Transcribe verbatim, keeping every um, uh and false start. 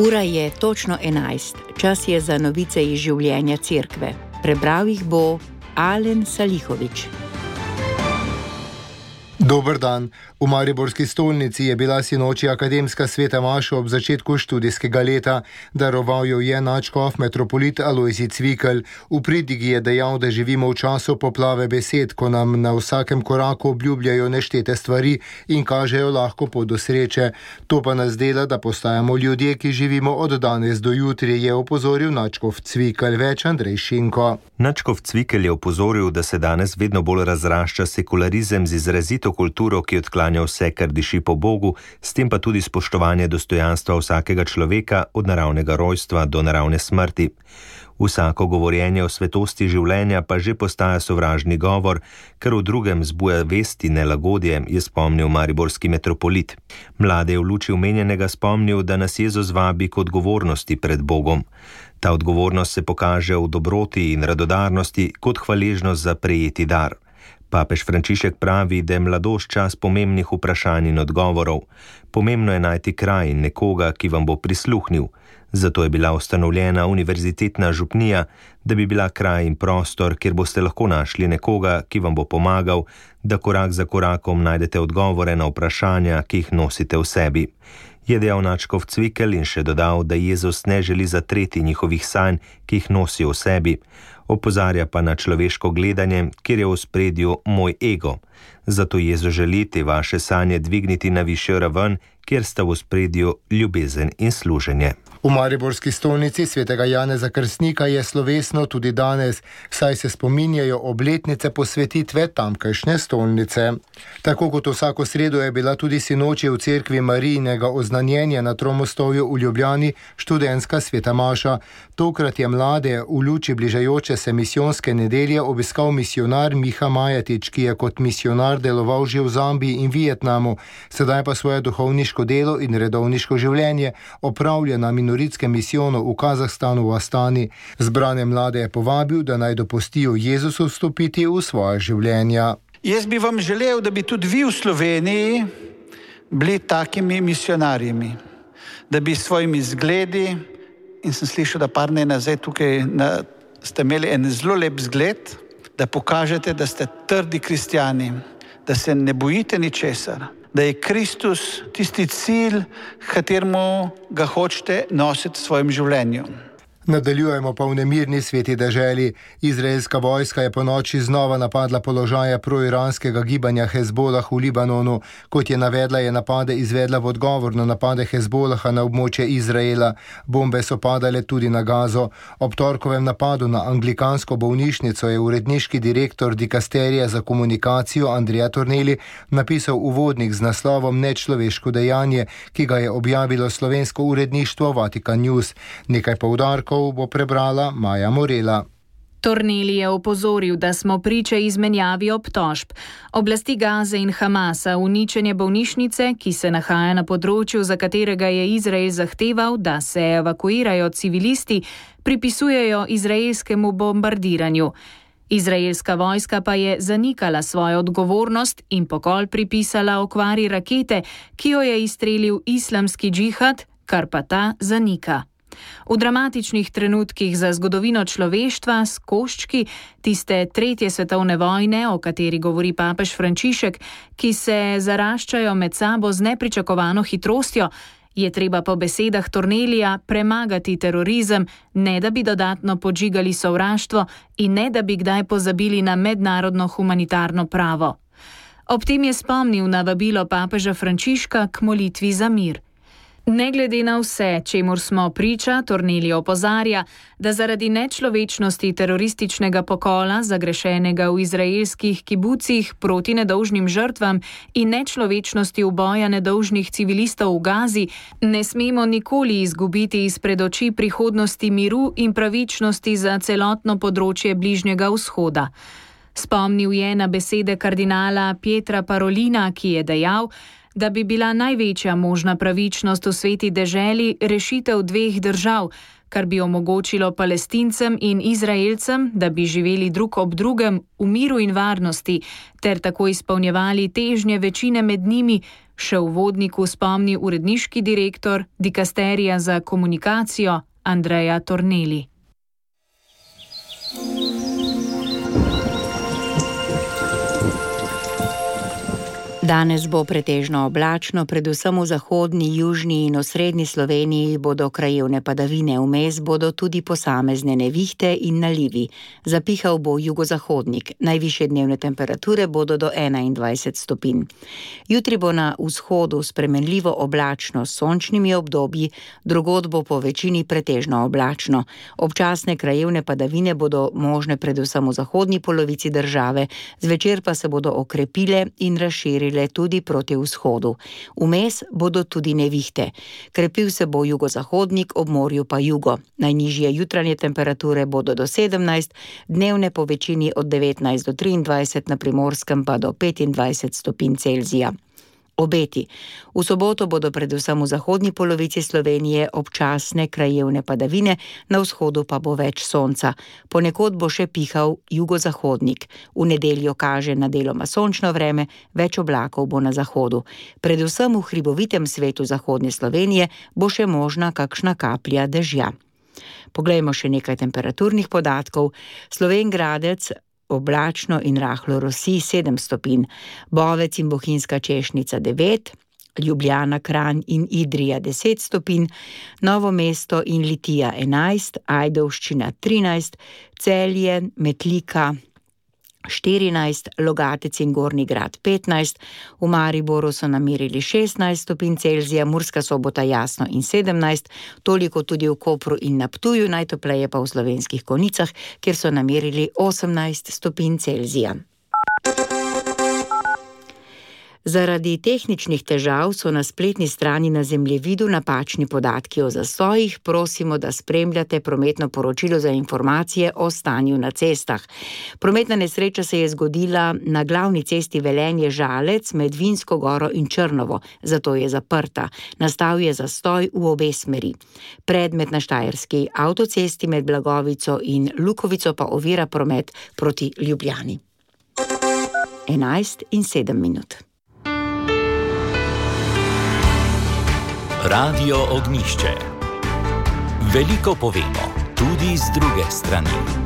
Ura je točno enajst, čas je za novice iz življenja cerkve. Prebral jih bo Alen Salihovič. Dober dan. V mariborski stolnici je bila sinoči akademska sveta maša ob začetku študijskega leta. Daroval jo je nadškof metropolit Alojzij Cvikl. V pridigi je dejal, da živimo v času poplave besed, ko nam na vsakem koraku obljubljajo neštete stvari in kažejo lahko pot do sreče. To pa nas dela, da postajamo ljudje, ki živimo od danes do jutri, je opozoril nadškof Cvikl. Več Andrej Šinko. Nadškof Cvikl je opozoril, da se danes vedno bolj razrašča sekularizem z izrazito kulturo, ki odklanja vse, kar diši po Bogu, s tem pa tudi spoštovanje dostojanstva vsakega človeka od naravnega rojstva do naravne smrti. Vsako govorjenje o svetosti življenja pa že postaja sovražni govor, ker v drugem zbuja vesti nelagodje, je spomnil mariborski metropolit. Mlade je v luči omenjenega spomnil, da nas Jezus vabi k odgovornosti pred Bogom. Ta odgovornost se pokaže v dobroti in radodarnosti kot hvaležnost za prejeti dar. Papež Frančišek pravi, da je mladost čas pomembnih vprašanj in odgovorov. Pomembno je najti kraj in nekoga, ki vam bo prisluhnil. Zato je bila ustanovljena univerzitetna župnija, da bi bila kraj in prostor, kjer boste lahko našli nekoga, ki vam bo pomagal, da korak za korakom najdete odgovore na vprašanja, ki jih nosite v sebi. Je dejal nadškof Cvikl in še dodal, da Jezus ne želi zatreti njihovih sanj, ki jih nosijo v sebi. Opozarja pa na človeško gledanje, kjer je v ospredju moj ego. Zato Jezus želi te vaše sanje dvigniti na višjo raven, kjer sta v ospredju ljubezen in služenje. V mariborski stolnici svetega Janeza Krstnika je slovesno tudi danes, saj se spominjajo obletnice posvetitve tamkajšnje stolnice. Tako kot vsako sredo je bila tudi sinoči v cerkvi Marijinega oznanjenja na Tromostovju v Ljubljani študentska sveta maša. Tokrat je mlade v luči bližajoče se misijonske nedelje obiskal misionar Miha Majatič, ki je kot misionar deloval že v Zambiji in Vietnamu, sedaj pa svoje duhovniško delo in redovniško življenje opravlja na minoritskem misijonu v Kazahstanu v Astani. Zbrane mlade je povabil, da naj dopustijo Jezusu vstopiti v svoje življenja. Jaz bi vam želel, da bi tudi vi v Sloveniji bili takimi misionarjimi, da bi s svojimi zgledi, in sem slišal, da par dni nazaj tukaj na, ste imeli en zelo lep zgled, da pokažete, da ste trdi kristjani, da se ne bojite ničesar, da je Kristus tisti cilj, kateremu ga hočete nositi v svojem življenju. Nadaljujemo pa v nemirni sveti deželi. Izraelska vojska je po noči znova napadla položaje proiranskega gibanja Hezbolah v Libanonu. Kot je navedla, je napade izvedla v odgovor na napade Hezbolaha na območje Izraela. Bombe so padale tudi na Gazo. Ob torkovem napadu na anglikansko bolnišnico je uredniški direktor dikasterija za komunikacijo Andrea Tornelli napisal uvodnik z naslovom Nečloveško dejanje, ki ga je objavilo slovensko uredništvo Vatikan News. Nekaj poudarkov bo prebrala Maja Morela. Tornelli je opozoril, da smo priče izmenjavi obtožb. Oblasti Gaze in Hamasa uničenje bolnišnice, ki se nahaja na področju, za katerega je Izrael zahteval, da se evakuirajo civilisti, pripisujejo izraelskemu bombardiranju. Izraelska vojska pa je zanikala svojo odgovornost in pokol pripisala okvari rakete, ki jo je izstrelil islamski džihad, kar pa ta zanika. V dramatičnih trenutkih za zgodovino človeštva s koščki tiste tretje svetovne vojne, o kateri govori papež Frančišek, ki se zaraščajo med sabo z nepričakovano hitrostjo, je treba po besedah Tornellija premagati terorizem, ne da bi dodatno podžigali sovraštvo in ne da bi kdaj pozabili na mednarodno humanitarno pravo. Ob tem je spomnil na vabilo papeža Frančiška k molitvi za mir. Ne glede na vse, čemur smo priča, Tornelli opozarja, da zaradi nečlovečnosti terorističnega pokola, zagrešenega v izraelskih kibucih proti nedolžnim žrtvam in nečlovečnosti uboja nedolžnih civilistov v Gazi, ne smemo nikoli izgubiti izpred oči prihodnosti miru in pravičnosti za celotno področje Bližnjega vzhoda. Spomnil je na besede kardinala Pietra Parolina, ki je dejal, da bi bila največja možna pravičnost v sveti deželi rešitev dveh držav, kar bi omogočilo Palestincem in Izraelcem, da bi živeli drug ob drugem v miru in varnosti, ter tako izpolnjevali težnje večine med njimi, še v uvodniku spomni uredniški direktor Dikasterija za komunikacijo Andreja Torneli. Danes bo pretežno oblačno, predvsem v zahodni, južni in osrednji Sloveniji bodo krajevne padavine, vmes bodo tudi posamezne nevihte in nalivi. Zapihal bo jugozahodnik, najvišje dnevne temperature bodo do enaindvajset stopinj. Jutri bo na vzhodu spremenljivo oblačno s sončnimi obdobji, drugod bo po večini pretežno oblačno. Občasne krajevne padavine bodo možne predvsem v zahodni polovici države, zvečer pa se bodo okrepile in razširile tudi proti vzhodu. Vmes bodo tudi nevihte. Krepil se bo jugozahodnik, ob morju pa jugo. Najnižje jutranje temperature bodo do sedemnajst, dnevne po večini od devetnajst do triindvajset, na Primorskem pa do petindvajset stopinj Celzija. Obeti. V soboto bodo predvsem v zahodni polovici Slovenije občasne krajevne padavine, na vzhodu pa bo več sonca. Ponekod bo še pihal jugozahodnik. V nedeljo kaže na deloma sončno vreme, več oblakov bo na zahodu. Predvsem v hribovitem svetu zahodne Slovenije bo še možna kakšna kaplja dežja. Poglejmo še nekaj temperaturnih podatkov. Slovenj Gradec oblačno in rahlo rosi sedem stopinj, Bovec in Bohinjska Češnica devet, Ljubljana, Kranj in Idrija deset stopinj, Novo mesto in Litija enajst, Ajdovščina trinajst, Celje, Metlika štirinajst, Logatec in Gornji Grad petnajst, v Mariboru so namerili šestnajst stopinj Celzija, Murska Sobota jasno in sedemnajst, toliko tudi v Kopru in na Ptuju, najtopleje pa v Slovenskih Konjicah, kjer so namerili osemnajst stopinj Celzija. Zaradi tehničnih težav so na spletni strani na zemljevidu napačni podatki o zastojih. Prosimo, da spremljate prometno poročilo za informacije o stanju na cestah. Prometna nesreča se je zgodila na glavni cesti Velenje-Žalec med Vinsko Goro in Črnovo, zato je zaprta. Nastal je zastoj v obe smeri. Predmet na štajerski avtocesti med Blagovico in Lukovico pa ovira promet proti Ljubljani. enajst in sedem minut. Radio Ognjišče. Veliko povemo, tudi z druge strani.